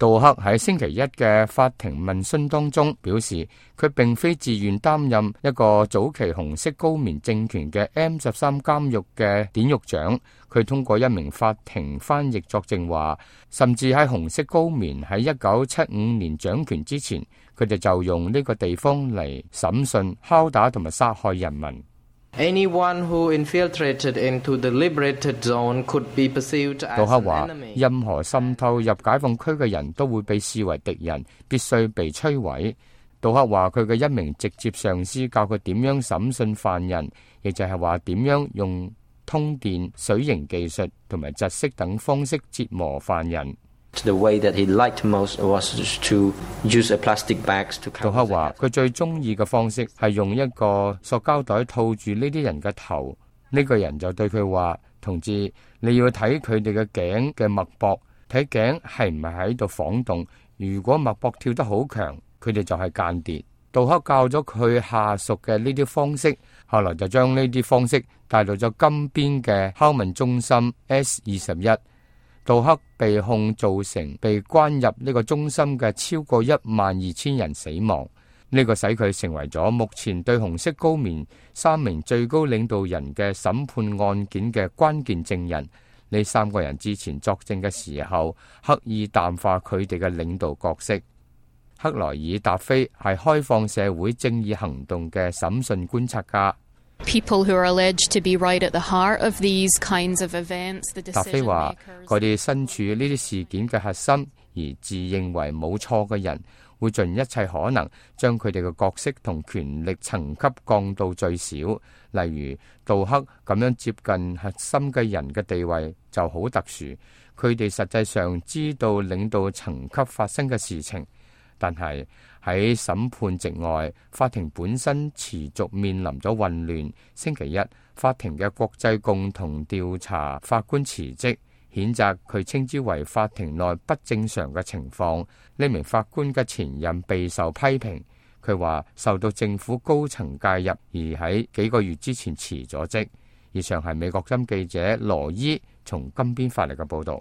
杜克喺星期一嘅法庭問訊當中表示，佢並非自願擔任一個早期紅色高棉政權嘅 M13監獄嘅典獄長。佢通過一名法庭翻譯作證話，甚至喺紅色高棉喺1975年掌權之前，佢哋就用呢個地方嚟審訊、敲打同埋殺害人民。Anyone who infiltrated into the liberated zone could be perceived as an enemy. 杜克話，任何滲透入解放區嘅人都會被視為敵人，必須被摧毀。杜克話，佢嘅一名直接上司教佢點樣審訊犯人，亦就係話點樣用通電、水刑技術同埋窒息等方式折磨犯人。The way that he liked most was to use a plastic bags to cover. 杜克話，佢最中意嘅方式係用一個塑膠袋套住呢啲人嘅頭。呢個人就對佢話：同志，你要睇佢哋嘅頸嘅脈搏，睇頸係唔係喺度晃動。如果脈搏跳得好強，佢哋就係間諜。杜克教咗佢下屬嘅呢啲方式，後來就將呢啲方式帶到咗金邊嘅拷問中心 S21。杜克被控造成被關入呢個中心嘅超過12000人死亡，呢個使佢成為咗目前對紅色高棉3名最高領導人嘅審判案件嘅關鍵證人。呢3個人之前作證嘅時候，刻意淡化佢哋嘅領導角色。克萊爾達菲係開放社會正義行動嘅審訊觀察家。People who are alleged to be right at the heart of these kinds of events, the decision makers. 達菲話：佢哋身處呢啲事件嘅核心，而自認為冇錯嘅人，會盡一切可能將佢哋嘅角色同權力層級降到最少。例如杜克咁樣接近核心嘅人嘅地位就好特殊，佢哋實際上知道領導層級發生嘅事情。但係喺審判席外，法庭本身持續面臨咗混亂。星期一，法庭嘅國際共同調查法官辭職，譴責佢稱之為法庭內不正常嘅情況。呢名法官嘅前任備受批評，佢話受到政府高層介入，而喺幾個月之前辭咗職。以上係美國之音記者羅伊從金邊發嚟嘅報導。